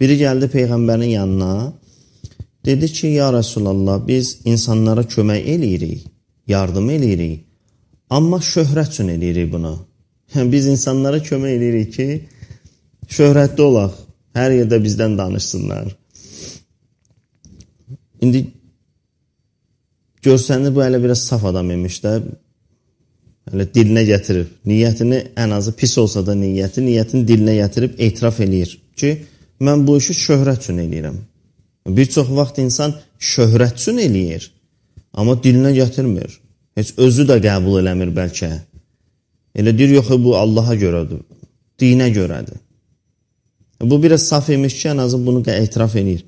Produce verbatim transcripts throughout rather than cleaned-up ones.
Biri gəldi Peyğəmbərin yanına, dedi ki, ya Rasulallah, biz insanlara kömək eləyirik, yardım eləyirik, amma şöhrət üçün eləyirik bunu. Biz insanlara kömək eləyirik ki, şöhrətli olaq, hər yerdə bizdən danışsınlar. İndi görsəndə bu hələ biraz saf adam imiş də, hələ dilinə gətirib, niyyətini ən azı pis olsa da niyyəti, niyyətini dilinə gətirib etiraf eləyir ki, mən bu işi şöhrət üçün eləyirəm. Bir çox vaxt insan şöhrət üçün eləyir, amma dilinə gətirmir. Heç özü də qəbul eləmir bəlkə. Elə deyir, yox, bu Allaha görədir, dinə görədir. Bu biraz saf imiş ki, ən azı bunu etiraf eləyir.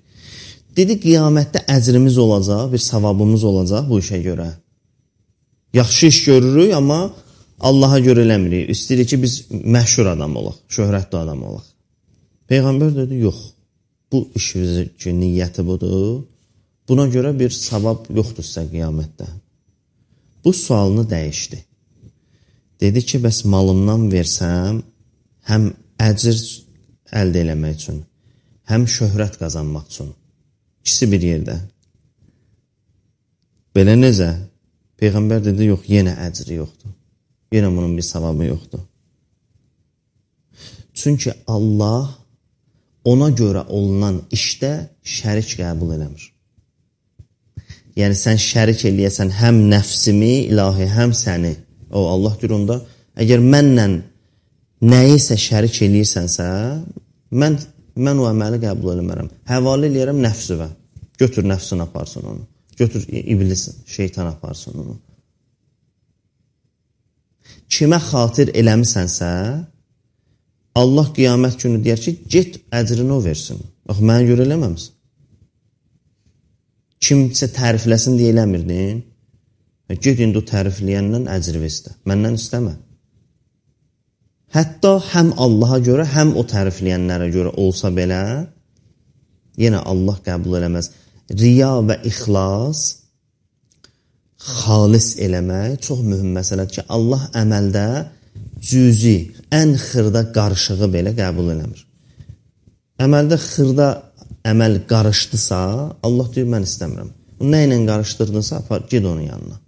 Dedi, qiyamətdə əcrimiz olacaq, bir savabımız olacaq bu işə görə. Yaxşı iş görürük, amma Allaha görə eləmirik. İstəyirik ki, biz məşhur adam olaq, şöhrətli adam olaq. Peyğəmbər dedi, yox, bu işimizin niyyəti budur. Buna görə bir savab yoxdur sizə qiyamətdə. Bu sualını dəyişdi. Dedi ki, bəs malımdan versəm, həm əcr əldə eləmək üçün, həm şöhrət qazanmaq üçün. İkisi bir yerdə. Belə necə? Peyğəmbər dedi, yox, yenə əcri yoxdur. Yenə bunun bir savabı yoxdur. Çünki Allah ona görə olunan işdə şərik qəbul eləmir. Yəni, sən şərik eləyəsən həm nəfsimi, ilahi, həm səni. O, Allah deyir onda, əgər mənlə nəyisə şərik eləyirsənsə, mən, mən o əməli qəbul eləmərəm. Həvalə eləyərəm nəfsivə. Götür nəfsin aparsın onu. Götür iblis, şeytan aparsın onu. Kimə xatir eləmisənsə, Allah qiyamət günü deyər ki, get əcrini o versin. Bax, mənə görə eləməmsin. Kimsə tərifləsin deyə eləmirdin. Get indi o tərifləyəndən əcri istə. Məndən istəmə. Hətta həm Allaha görə, həm o tərifləyənlərə görə olsa belə, yenə Allah qəbul eləməz. Riya və ixlas, xalis eləmək çox mühüm məsələdir ki, Allah əməldə cüzi, ən xırda qarışığı belə qəbul eləmir. Əməldə xırda əməl qarışdısa, Allah deyir, mən istəmirəm. Nə ilə qarışdırdınsa, apar, ged onun yanına.